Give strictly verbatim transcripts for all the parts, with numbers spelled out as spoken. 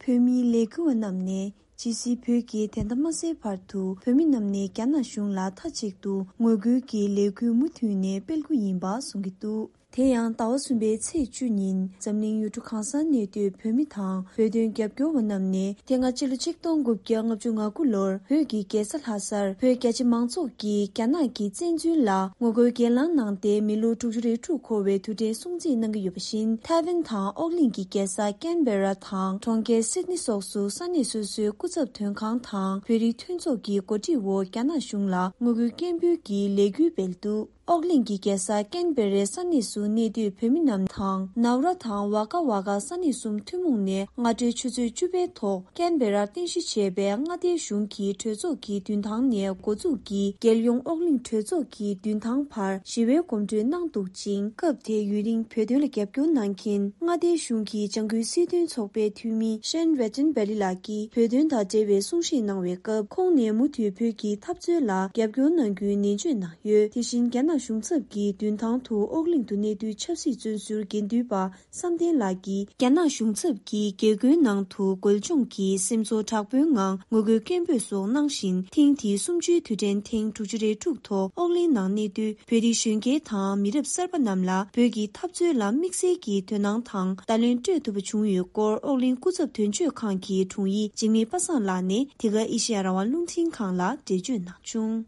བོད་མིའི་ལས་འགུལ་བ་རྣམས་ནས་ཇི་སྲིད་བོད་ཀྱི་བདེན་མཐའ་མ་གསལ་བར་དུ་བོད་མི་རྣམས་ནས་རྒྱ་ནག་གཞུང་ལ་མཐའ་གཅིག་ཏུ་ངོ་རྒོལ་གྱི་ལས་འགུལ་མུ་མཐུད་ནས་སྤེལ་རྒྱུ་ཡིན་པ་གསུང་གི་འདུག་དེ་ཡང་ཟླ་བ་གསུམ་པའི་ཚེས་བཅུ་ཉིན་འཛམ་གླིང་ཡུལ་གྲུ་གང་སར་གནས་སྡོད་བོད་མི་དང་བོད་དོན་རྒྱབ་སྐྱོར་བ་རྣམས་ནས་དེ་སྔ་ཕྱི་ལོ་ཆིག་སྟོང་དགུ་བརྒྱ་ལྔ་བཅུ་ང་དགུ་ལོར་བོད་ཀྱི་རྒྱལ་ས་ལྷ་སར་བོད་རྒྱ་ཆེ་མང་ཚོགས་ཀྱིས་རྒྱ་ནག་གི་བཙན་འཛུལ་ལ་ངོ་རྒོལ་གྱེན་ལངས་གནང་སྟེ་མི་ལོ་དྲུག་ཅུ་རེ་དྲུག་འཁོར་བའི་དུས་དྲན་སྲུང་བརྩི་གནང་གི་ཡོད་པ་བཞིན། ཐའེ་ཝན་དང་ཨོག་གླིང་གི་རྒྱལ་ས་ཀན་བེ་ར་དང་གྲོང་ཁྱེར་སིད་ནི་སོགས་སུ་ས་གནས་སོ་སོའི་སྐུ་ཚབ་དོན་ཁང་དང་བོད་རིགས་མཐུན་ཚོགས་ཀྱི་གོ་སྒྲིག་འོག་རྒྱ་ནག་གཞུང་ལ་ངོ་རྒོལ་སྐད་འབོད་ཀྱི་ལས་འགུལ་སྤེལ་འདུག་ཨོག་གླིང་གི་རྒྱལ་ས་ཀན་བེ་རའི་ས་གནས་སུ་གནས་སྡོད་བོད་མི་རྣམས་དང་ནའུ་ར་དང་ཝ་ཀ་ཝ་ཀ་ས་གནས་གསུམ་ཐུན་མོང་ནས་སྔ་དྲོའི་ཆུ་ཚོད་བཅུ་པའི་ཐོག་ཀན་བེ་རར་རྟེན་གཞི་བྱས་པའི་མངའ་སྡེའི་གཞུང་གི་གྲོས་ཚོགས་ཀྱི་མདུན་ཐང་ནས་འགོ་འཛུགས་ཀྱིས་རྒྱལ་ཡོངས་ཨོག་གླིང་གྲོས་ཚོགས་ཀྱི་མདུན་ཐང་བར་ཞི་བའི་གོམ་བགྲོད་གནང་འདུག་ཅིང་། སྐབས་དེའི་ཡུན་རིང་བོད་དོན་ལ་རྒྱབ་སྐྱོར་གནང་མཁན་མངའ་སྡེའི་གཞུང་གི་ལྗང་ཁུའི་སྲིད་དོན་ཚོགས་པའི་འཐུས་མི་ཤན་རེ་ཏན་བེ་ལི་ལགས་ཀྱིས་བོད་དོན་དང་འབྲེལ་བའི་གསུང་བཤད་གནང་བའི་སྐབས། ཁོང་ནས་མུ་མཐུད་བོད་ཀྱི་འཐབ་རྩོད་ལ་རྒྱབ་སྐྱོར་གནང་རྒྱུའི་ནན་བརྗོད་གནང་ཡོད། དེ་བཞིན་རྒྱ་ནག་གཞུང་ཚབ་ཀྱི་མདུན་ཐང་དུ་ཨོག་གླིང་དུ་གནས་སྡོད་ཆབ་སྲིད་བཙོན་ཟུར་དགེ་འདུན་པ་བསམ་གཏན་ལགས་ཀྱིས་རྒྱ་ནག་གཞུང་ཚབ་ཀྱིས་རྒྱལ་སྒོའི་ནང་དུ་རྒོལ་བྱུང་གིས་སེམས་ཚོར་དྲག་པོའི་ངང་ངོ་རྒོལ་སྐད་འབོད་སོགས་གནང་བཞིན། ཐེངས་འདིའི་གསུམ་བཅུའི་དུས་དྲན་ཐེངས་དྲུག་ཅུ་རེ་དྲུག་ཐོག་ཨོག་གླིང་ནང་གནས་སྡོད་བོད་རིགས་གཞོན་སྐྱེས་དང་མི་རབས་གསར་པ་རྣམས་ལ་བོད་ཀྱི་འཐབ་རྩོད་ལ་དམིགས་བསལ་གྱི་དོ་སྣང་དང་བརྡ་ལན་སྤྲོད་ཐུབ་པ་བྱུང་ཡོད་སྐོར་ཨོག་གླིང་སྐུ་ཚབ་དོན་གཅོད་ཁང་གི་དྲུང་ཡིག་འཇིགས་མེད་པ་སངས་ལགས་ནས་འདི་ག་ཨེ་ཤེ་ཡ་རང་དབང་རླུང་འཕྲིན་ཁང་ལ་འགྲེལ་བརྗོད་གནང་བྱུང་།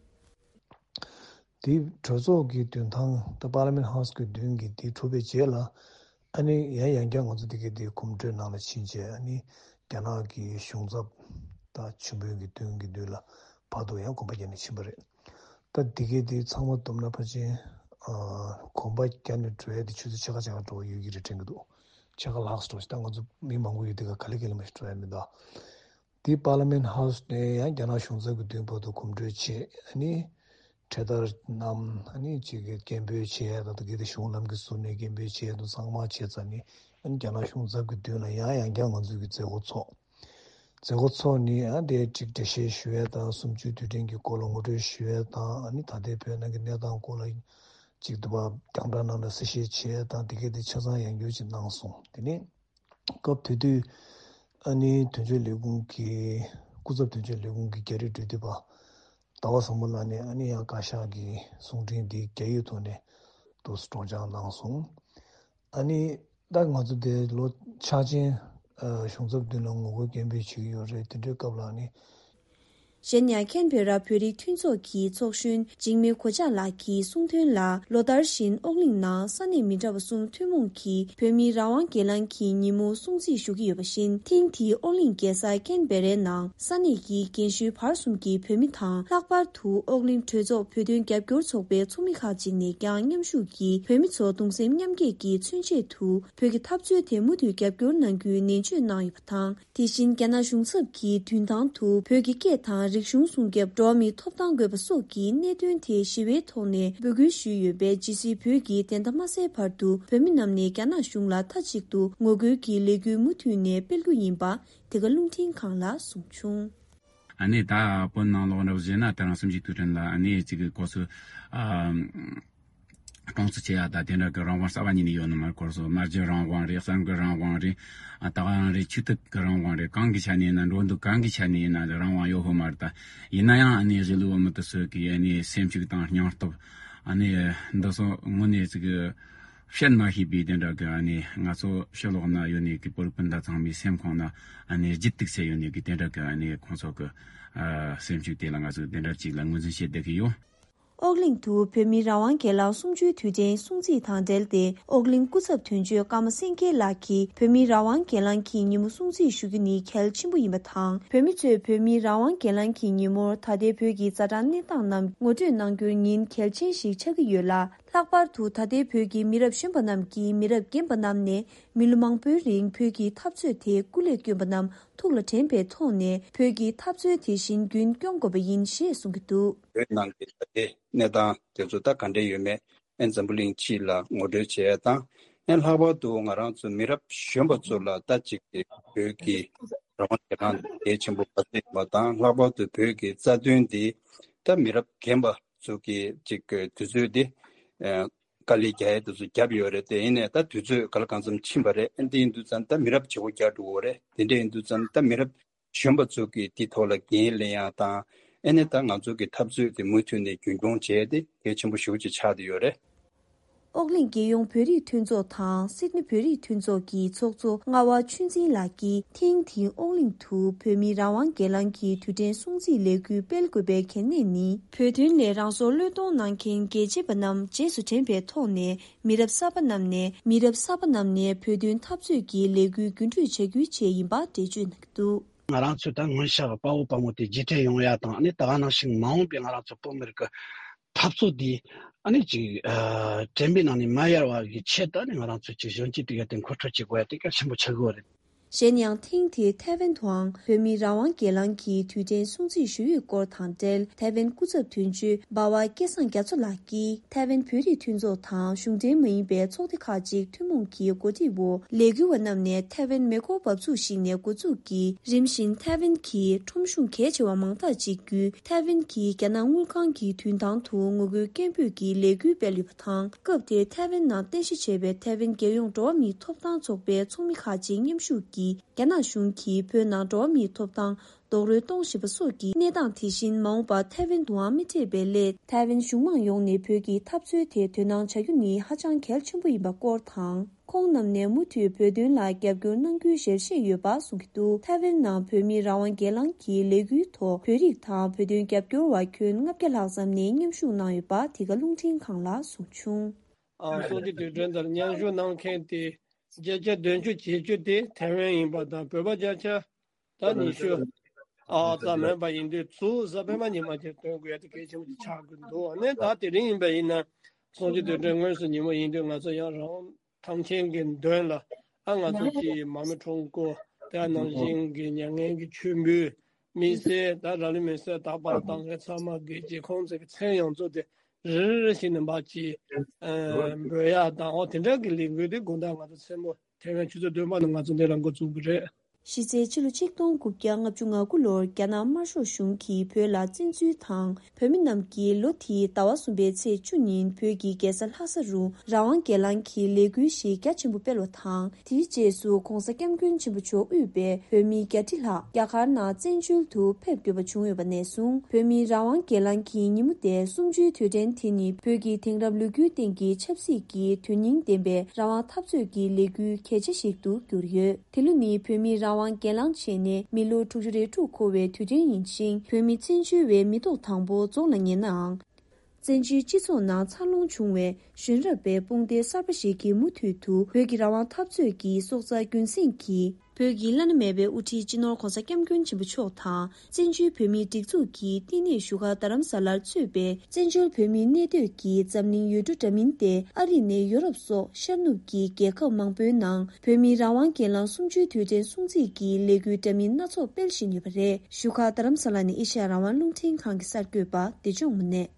དེའི་གྲོས་ཚོགས་ཀྱི་མདུན་ཐང་ད་པར་ལི་མེན་ཧའུ་སི་གི་མདུན་གྱི་དེ་གྲུབ་པའི་རྗེས་ལ། ཨ་ནི་ཡང་ཡང་བསྐྱར་ང་ཚོ་དེ་གའི་དེ་གོམ་བགྲོད་ནང་ལ་ཕྱིན་རྗེས། ཨ་ནི་རྒྱ་ནག་གི་གཞུང་ཚབ་དང་ཆེན་པོའི་གི་མདུན་གྱི་མདུན་ལ་བར་དུ་ཡང་གོམ་པ་བརྒྱབ་ནས་ཕྱིན་པ་རེད། ད་དེ་གའི་དེ་ཚང་མ་བསྡོམས་ན་ཕལ་ཆེར་ཨ་གོམ་པ་བརྒྱབ་ནས་འགྲོ་ཡ་དེ་ཆུ་ཚོད་ཕྱེད་ཀ་ཕྱེད་ཀ་འགྲོ་བ་ཡོད་ཀྱི་རེད་དྲན་གྱི་འདུག་ཕྱེད་ཀ་ལྷག་ཙམ་འགྲོ་ཞིག་ད་ང་ཚོ་མི་མང་པོ་ཡོད་དེ་ག་ག་ལེ་ག་ལེ་མ་ཞིག་འགྲོ་ཡ་མི་འདུག་དེ་པར་ལི་མེན་ཧའུ་སི་ནས་ཡང་རྒྱ་ནག་གཞུང་ཚབ་ཀྱི་མདུན་བར་དུ་གོམ་བགྲོད་བྱས། ཨ་ནི་གྲོས་བསྡུར་གནང་། ཨ་ནི་གཅིག་གི་སྐད་འབོད་བྱས་ཡ་དང་། དེ་གའི་དེ་གཞུང་ལམ་གྱི་ཟུར་ནས་སྐད་འབོད་བྱས་དང་ཚང་མ་བྱས་ཚར་ནས། ཨ་ནི་རྒྱ་ནག་གཞུང་ཚབ་ཀྱི་མདུན་ལ་ཡང་ཡང་བསྐྱར་ང་ཚོ་གི་མཛད་སྒོ་ཚོགས། མཛད་སྒོ་ཚོགས་ནས་ཨ་དེ་གཅིག་འགྲེལ་བཤད་ཞུ་ཡ་དང་། གསུམ་བཅུའི་དུས་དྲན་གྱི་སྐོར་ལ་ངོ་སྤྲོད་ཞུ་ཡ་དང་། ཨ་ནི་ད་ལྟའི་བོད་ནང་གི་གནས་སྟངས་སྐོར་ལ་གཅིག་དུ་བ་རྒྱང་བསྒྲགས་ནང་ལ་གསལ་བཤད་བྱས་ཡ་དང་། དེ་གའི་དེ་ཆ་ཚང་ཡང་བསྐྱར་ཅིག་གནང་སོང་། དེ་ནས། སྐབས་དེ་དུས་ཨ་ནི་དོན་གཅོད་ལས་ཁུངས་ཀྱི་སྐུ་ཚབ་དོན་གཅོད་ལས་ཁུངས་ཀྱི་རྒྱ་རིགས་འབྲེལ་མཐུད་པ་ཟླ་བ་བཟང་པོ་ལགས་ནས་ཨ་ནི་ཡང་བཀའ་ཤག་གི་གསུང་འཕྲིན་འདི་རྒྱ་ཡིག་ཐོག་ནས་འདུག་སེ་སྒྲོག་སྦྱང་གནང་སོང་། ཨ་ནི་ད་ང་ཚོ་དེ་ལོ་འཆར་ཅན་ཨ་གཞུང་ཚབ་མདུན་ལ་ངོ་རྒོལ་སྐད་འབོད་བྱེད་ཀྱི་ཡོད་རེད། དེ་འདྲའི་སྐབས་ལ་ཨ་ནི། གཞན་ཡང་ཁེན་བྷེ་ར་བོད་རིགས་མཐུན་ཚོགས་ཀྱི་ཚོགས་གཞོན་འཇིགས་མེད་གོ་ཆ་ལགས་ཀྱིས་གསུངས་དོན་ལ། ལོ་ལྟར་བཞིན་ཨོག་གླིང་ནང་ས་གནས་མི་འདྲ་བ་གསུམ་ཐུན་མོང་གིས་བོད་མིའི་རང་དབང་སྒེར་ལངས་ཀྱི་ཉིན་མོ་སྲུང་བརྩི་ཞུ་གི་ཡོད་པ་བཞིན། ཐེངས་འདིའི་ཨོག་གླིང་རྒྱལ་ས་ཀེན་བེ་རའི་ནང་ས་གནས་ཀྱི་རྒན་གཞོན་བར་གསུམ་གྱི་བོད་མི་དང་། ལྷག་པར་དུ་ཨོག་གླིང་གྲོས་ཚོགས་བོད་དོན་རྒྱབ་སྐྱོར་ཚོགས་པའི་ཚོགས་མི་ཁག་ཅིག་ནས་ཀྱང་མཉམ་ཞུགས་ཀྱིས་བོད་མི་ཚོ་གདུང་སེམས་མཉམ་སྐྱེད་ཀྱི་མཚོན་ཆེད་དུ་བོད་ཀྱི་འཐབ་རྩོད་དེ་མུ་མཐུད་རྒྱབ་སྐྱོར་གནང་རྒྱུའི་ནན་བརྗོད་གནང་ཡོད་པ་དང་། དེ་བཞིན་རྒྱ་ནག་གཞུང་ཚབ་ཀྱི་མདུན་ཐང་དུ་བོད་ཀྱི་སྐད་དང་རིག་གཞུང་སྲུང་སྐྱོབ། འགྲོ་བ་མིའི་ཐོབ་ཐང་དགོས་པ་སོགས་ཀྱི་གནད་དོན་ཐད་ཞི་བའི་ཐོག་ནས་འབོད་སྐུལ་ཞུས་ཡོད་པས། ཇི་སྲིད་བོད་ཀྱི་བདེན་མཐའ་མ་གསལ་བར་དུ་བོད་མི་རྣམས་ནས་རྒྱ་ནག་གཞུང་ལ་མཐའ་གཅིག་ཏུ་ངོ་རྒོལ་གྱི་ལས་འགུལ་མུ་མཐུད་ནས་སྤེལ་རྒྱུ་ཡིན་པ། འདི་ག་རླུང་འཕྲིན་ཁང་ལ་གསུངས་བྱུང་། ཨ་ནི་ད་བོད་ནང་ལོགས་འདྲ་བོ་བྱས་ན། དེ་རིང་གསུམ་བཅུའི་དུས་དྲན་ལ་ཨ་ནི་གཅིག་གི་སྐོར་སུ་ཨ། གྲོང་ཚོ་ཆེ་ཡ་དང་དེ་འདྲ་གི་རང་དབང་གསར་པ་གཉིས་ནས་ཡོད་ནི་མ་རེད། སྐོར་སོ་སྨྲ་བརྗོད་རང་དབང་རེད། གསར་འགོད་རང་དབང་རེད། ཨ་ད་ག་རང་རེད། ཆོས་དད་ཀྱི་རང་དབང་རེད། གང་གི་ཆ་ནས་ཡིན་ན། འགྲོ་འདུག་གང་གི་ཆ་ནས་ཡིན་ན་རང་དབང་ཡོད་ཧོ་མ་རེད། ད་ཡིན་ན་ཡང་ཨ་ནི་གཞིས་ལུས་བོད་མི་དེ་ཚོ་གི་ཨ་ནི་སེམས་ཤུགས་དང་སྙིང་སྟོབས། ཨ་ནི་འདི་ཚོ་དངོས་གནས་ཅིག་གི་བཤད་མ་ཤེས་པའི་དེ་འདྲ་གི། ཨ་ནི་ང་ཚོ་ཕྱི་ལོགས་ན་ཡོད་ནི་གི་བོད་རིགས་སྤུན་ཟླ་ཚང་མའི་སེམས་ཁོང་ན་ཨ་ནི་ལྗིད་ཏིག་སེ་ཡོད་ནི་གི་དེ་འདྲ་གི། ཨ་ནི་ཁོང་ཚོ་གི་ཨ་སེམས་ཤུགས་དེ་ལ་ང་ཚོ་དེ་འདྲ་ཅིག་ལ་ངོས་འཛིན་བྱེད་བསྡད་ཀྱི་ཡོད། ཨོག་གླིང་དུ་བོད་མིའི་རང་དབང་སྒེར་ལངས་གསུམ་བཅུའི་དུས་དྲན་སྲུང་བརྩི་དང་འབྲེལ་ཏེ། ཨོག་གླིང་སྐུ་ཚབ་དོན་གཅོད་ཀརྨ་སེང་གེ་ལགས་ཀྱིས་བོད་མིའི་རང་དབང་སྒེར་ལངས་ཀྱི་ཉིན་མོ་སྲུང་བརྩི་ཞུ་རྒྱུ་ནི་གལ་ཆེན་པོ་ཡིན་པ་དང་། བོད་མི་ཚོས་བོད་མིའི་རང་དབང་སྒེར་ལངས་ཀྱི་ཉིན་མོར་ད་ལྟའི་བོད་ཀྱི་ཛ་དྲག་གནས་སྟངས་རྣམས་ངོ་སྤྲོད་གནང་རྒྱུར་ཉིན་གལ་ཆེན་ཞིག་ཆགས་ཀྱི་ཡོད་ལ། ལྷག་པར་དུ་ད་ལྟའི་བོད་ཀྱི་མི་རབས་གཞོན་པ་རྣམས་ཀྱིས་མི་རབས་རྒན་པ་རྣམས་ནས་མི་ལོ་མང་པོའི་རིང་བོད་ཀྱི་འཐབ་རྩོད་དེ་སྐུ་ལས་བསྐྱོན་པ་རྣམས་ཐུགས་ལ་དྲན་པའི་ཐོག་ནས། བོད་ཀྱི་འཐབ་རྩོད་དེ་བཞིན་རྒྱུན་སྐྱོང་དགོས་པ་ཡིན་ཞེས་གསུང་གི་འདུག། བོད་ནང་གི་ད་ལྟའི་གནས་སྟངས་དེ་ཚོ་ད་ག་འདྲ་ཡོད་མེད། ཨན་འཛམ་བུ་གླིང་སྤྱི་ལ་ངོ་སྤྲོད་བྱེད་ཡ་དང་། ཨན་ལྷག་པར་དུ་ང་རང་ཚོ་མི་རབས་གཞོན་པ་ཚོ་ལ་ད་ཅིག་གི་བོད་ཀྱི་རང་དབང་སྒེར་ལངས་གལ་ཆེན་པོ་ག་ཚོད་ཡིན་པ་དང་། ལྷག་པར་དུ་བོད་ཀྱི་རྩ་དོན་འདི་ད་མི་རབས་རྒན་པ་ཚོ་གི་ཅིག་གི་དུས་ཚོད་འདི། ཨ། དཀའ་ལས་རྒྱག་ཡས་དེ་ཚོ་བརྒྱབ་ཡོད་རེད། དེ་ཡིན་ནའི་ད་དུས་ཚོད་ག་ལ་གང་འཚམ་ཕྱིན་པ་རེད། ཨ་འདི་ཡིན་དུས་ཙང་ད་མི་རབས་བརྗེ་པོ་རྒྱག་འགྲོ་གི་ཡོད་རེད། དེ་འདྲ་ཡིན་དུས་ཙང་ད་མི་རབས་གཞོན་པ་ཚོ་གིས་འདི་ཐོག་ལ་འགན་ལེན་ཡག་དང་། ཨ་ནི་ད་ང་ཚོ་གི་འཐབ་རྩོད་དེ་མུ་མཐུད་ནས་རྒྱུན་འཁྱོངས་བྱས་ཏེ་གལ་ཆེན་པོ་ཞེ་པོ་ཅིག་ཆགས་བསྡད་ཡོད་རེད། ཨོག་གླིང་རྒྱལ་ཡོངས་བོད་རིགས་མཐུན་ཚོགས་དང་སིད་ནི་བོད་རིགས་མཐུན་ཚོགས་ཀྱི་ཚོགས་གཙོ་རྔ་བ་ཆོས་འཛིན་ལགས་ཀྱིས་ཐེངས་འདིའི་ཨོག་གླིང་དུ་བོད་མིའི་རང་དབང་སྒེར་ལངས་ཀྱི་དུས་དྲན་སྲུང་བརྩིའི་ལས་འགུལ་སྤེལ་དགོས་པའི་གལ་གནད་ནི། བོད་དོན་ལས་རང་སྲོག་བློས་གཏོང་གནང་མཁན་རྒྱལ་གཅེས་པ་རྣམས་རྗེས་སུ་དྲན་པའི་ཐོག་ནས། མི་རབས་གསར་པ་རྣམས་ནས་མི་རབས་གསར་པ་རྣམས་ནས་བོད་དོན་འཐབ་རྩོད་ཀྱི་ལས་འགུལ་རྒྱུན་མཐུད་བྱ་རྒྱུའི་ཆེད་ཡིན་པ་འགྲེལ་བརྗོད་གནང་གི་འདུག། ང་རང་ཚོས་ད་སྔོན་ཆད་དཔའ་བོ་དཔའ་མོ་དེ་རྗེས་དྲན་ཡོང་ཡ་དང་། ཨ་ནི་ད་ག་ནང་བཞིན་མ་འོངས་པའི་ང་རང་ཚོ་བོད་མི་རིགས་ཀྱི་འཐབ་རྩོད་འདི་ཨ་ནི་ཅིག་ཨ་དྲན་པའི་ནང་ནས་མ་ཡལ་བ་གི་ཆེད་དུ། ཨ་ནི་ང་རང་ཚོས་ཅིག་གཞོན་སྐྱེས་དེ་ག་དེ་མཁོ་སྤྲོད་བྱེད་དགོས་ཡ་དེ་གལ་ཆེན་པོ་ཆགས་ཀྱི་ཡོད་རེད། གཞན་ཡང་ཐེངས་འདིའི་ཐའེ་ཝན་དུའང་བོད་མིའི་རང་དབང་སྒེར་ལངས་ཀྱི་དུས་དྲན་སྲུང་བརྩི་ཞུ་ཡུལ་སྐོར་དང་འབྲེལ། ཐའེ་ཝན་སྐུ་ཚབ་དོན་གཅོད་འབའ་བ་སྐལ་བཟང་རྒྱ་མཚོ་ལགས་ཀྱིས་ཐའེ་ཝན་བོད་རིགས་མཐུན་ཚོགས་དང་གཞུང་འབྲེལ་མ་ཡིན་པའི་ཚོགས་སྡེ་ཁག་ཅིག་ཐུན་མོང་གི་གོ་སྒྲིག་འོག་ལས་འགུལ་བ་རྣམས་ནས་ཐའེ་ཝན་མེ་འཁོར་འབབ་ཚུགས་ཤིག་ནས་འགོ་འཛུགས་ཀྱིས། རིམ་བཞིན་ཐའེ་ཝན་གྱི་ཁྲོམ་གཞུང་གལ་ཆེ་བ་མང་དག་ཅིག་བརྒྱུད། ཐའེ་ཝན་གྱི་རྒྱ་ནག་དངུལ་ཁང་གི་མདུན་ཐང་དུ་ངོ་རྒོལ་སྐད་འབོད་ཀྱི་ལས་འགུལ་སྤེལ་ཡོད་པ་དང་། སྐབས་དེར་ཐའེ་ཝན་ནང་རྟེན་གཞི་བྱས་པའི་ཐའེ་ཝན་རྒྱལ་ཡོངས་འགྲོ་བ་མིའི་ཐོབ་ཐང་ཚོགས་པའི་ཚོགས་མི་ཁག་ཅིག་མཉམ་ཞུགས་ཀྱིས། རྒྱ་ནག་གཞུང་གིས་བོད་ནང་འགྲོ་བ་མིའི་ཐོབ་ཐང་རྡོག་རོལ་གཏོང་བཞིན་པ་སོགས་ཀྱི་གནས་སྟངས། དེ་བཞིན་མ་འོངས་པར་ཐའེ་ཝན་དུའང་མི་སྤྲད་པའི་སླད། ཐའེ་ཝན་གཞུང་མང་ཡོངས་ནས་བོད་ཀྱི་འཐབ་རྩོད་དེ་དོ་སྣང་བྱ་རྒྱུ་ནི་ཧ་ཅང་གལ་ཆེན་པོ་ཡིན་པ་སྐོར་དང་། ཁོང་རྣམས་ནས་མུ་མཐུད་བོད་དོན་ལ་རྒྱབ་སྐྱོར་གནང་རྒྱུའི་ཞལ་བཞེས་ཡོད་པ་གསུང་གི་འདུག། ཐའེ་ཝན་ནང་བོད་མིའི་རང་དབང་སྒེར་ལངས་ཀྱི་ལས་འགུལ་ཐོག་བོད་རིགས་དང་བོད་དོན་རྒྱབ་སྐྱོར་བ་ཁྱོན་ལྔ་བརྒྱ་ལྷག་ཙམ་ནས་མཉམ་ཞུགས་གནང་ཡོད་པ་འདི་ག་རླུང་འཕྲིན་ཁང་ལ་གསུངས་བྱུང་། ཨ་སྲུང་བརྩི་དུས་དྲན་དེར་མཉམ་ཞུགས་གནང་མཁན་དེ་བརྒྱ་ཆ་བདུན་ཅུ་ཇེ་བཅུ་དེ་ཐའེ་ཝན་ཡིན་པ་དང་། བོད་པ་བརྒྱ་ཆ་ད་ཉི་ཤུ་ཨ་ཙམ་མིན་པ་ཡིན་དུས། ཚུར་གཟའ་སྤེན་པ་ཉི་མ་དེར་སྟོན་དགོས་ཡ་དེ་གལ་ཆེན་པོ་ཅིག་ཆགས་ཀྱི་འདུག། ཨ་ནི་ད་དེ་རིང་ཡིན་པ་ཡིན་ན་སྲུང་བརྩི་དུས་དྲན་དངོས་སུ་ཉིན་མོ་ཡིན་དུས། ང་ཚོ་ཡང་རང་དབང་ཐང་ཆེན་གྱི་མདུན་ལ། ཨ་ང་ཚོ་སྤྱི་ཡི་མ་རྨོས་ཁྲོམ་སྐོར། དེ་ནང་བཞིན་གྱི་མྱ་ངན་གྱི་མཆོད་འབུལ། མི་སེར་ད་ར་ལི་མི་སེར་དག་པར་བཏང་མཁན་ཚང་མ་གི་རྗེས་ཁོང་ཚོ་གི་མཚན་ཡོངས་རྫོགས་དེ་རེ་རེ་བཞིན་ནས་མར་ཅིག་ཨ་འབོད་ཡ་དང་། འོ་དེ་འདྲ་གི་ལས་འགུལ་དེ་དགོང་དག་ང་ཚོ་མཚན་མོ་ཐའེ་ཝན་ཆུ་ཚོད་བདུན་པ་ནས་ང་ཚོ་འདི་ལ་འགོ་བཙུགས་པ་རེད། གཞི་རྩའི་ཕྱི་ལོ་ཆིག་སྟོང་དགུ་བརྒྱ་ལྔ་བཅུ་ང་དགུ་ལོར་རྒྱ་ནག་དམར་ཤོག་གཞུང་གིས་བོད་ལ་བཙན་འཛུལ་དང་། བོད་མི་རྣམས་ཀྱིས་ལོ་དེའི་ཟླ་བ་གསུམ་པའི་ཚེས་བཅུ་ཉིན་བོད་ཀྱི་རྒྱལ་ས་ལྷ་ས་རུ་རང་དབང་སྒེར་ལངས་ཀྱི་ལས་འགུལ་ཞིག་རྒྱ་ཆེན་པོ་སྤེལ་བ་དང་། དེའི་རྗེས་སུ་༸གོང་ས་༸སྐྱབས་མགོན་ཆེན་པོ་མཆོག་དབུས་པའི་བོད་མི་བརྒྱ་ཁྲི་ལྷག་རྒྱ་གར་ནང་བཙན་བྱོལ་དུ་ཕེབས་དགོས་པ་བྱུང་ཡོད་པ་ནས་བཟུང་། བོད་མིའི་རང་དབང་སྒེར་ལངས་ཀྱི་ཉིན་མོ་སྟེ་གསུམ་བཅུའི་དུས་དྲན་དེ་ནི་བོད་ཀྱི་དེང་རབས་ལོ་རྒྱུས་སྟེང་གི་ཆབ་སྲིད་ཀྱི་དོན་སྙིང་ལྡན་པའི་རང་དབང་འཐབ་རྩོད་ཀྱི་ལས་འགུལ་གལ་ཆེ་ཞིག་ཏུ་གྱུར་ཡོད། དེ་ལོ་ནི་བོད་མིའི་རང་དབང་སྒེར་ལངས་བྱས་ནས་མི་ལོ་དྲུག་ཅུ་རེ་དྲུག་འཁོར་བའི་དུས་དྲན་ཡིན་ཞིང་། བོད་མི་བཙན་བྱོལ་བའི་མི་ཐོག་དང་པོ་རྫོགས་ལ་ཉེ་ནའང་། བཙན་བྱོལ་སྤྱི་ཚོགས་ནང་འཚར་ལོངས་བྱུང་བའི་གཞོན་རབས་པའི་དཔུང་སྡེ་གསར་པ་ཞིག་གིས་མུ་མཐུད་དུ་བོད་ཀྱི་རང་དབང་འཐབ་རྩོད་ཀྱི་སྲོག་རྩ་རྒྱུན་སྲིང་གིས། བོད་ཀྱི་བླ་ན་མེད་པའི་དབུ་ཁྲིད་སྤྱི་ནོར་༸གོང་ས་༸སྐྱབས་མགོན་ཆེན་པོ་མཆོག་དང་། བཙན་བྱོལ་བོད་མིའི་སྒྲིག་འཛུགས་ཀྱི་བསྟི་གནས་བཞུགས་སྒར་རྡ་རམ་ས་ལར་གཙོས་པའི་བཙན་བྱོལ་བོད་མིའི་གནས་སྡོད་ཀྱི་འཛམ་གླིང་ཡུལ་གྲུ་འདྲ་མིན་ཏེ། ཨ་རི་ནས་ཡོ་རོབ་སོགས་ཤར་ནུབ་ཀྱི་རྒྱལ་ཁབ་མང་པོའི་ནང་བོད་མིའི་རང་དབང་སྒེར་ལངས་གསུམ་བཅུའི་དུས་དྲན་སྲུང་བརྩི་གི་ལས་འགུལ་འདྲ་མིན་སྣ་ཚོགས་སྤེལ་བཞིན་ཡོད་པ་རེད། བཞུགས་སྒར་རྡ་རམ་ས་ལ་ནས་ཨེ་ཤ་ཡ་རང་དབང་རླུང་འཕྲིན་ཁང་གི་གསར་འགོད་པ་བདེ་སྐྱོང་དངོས་གནས།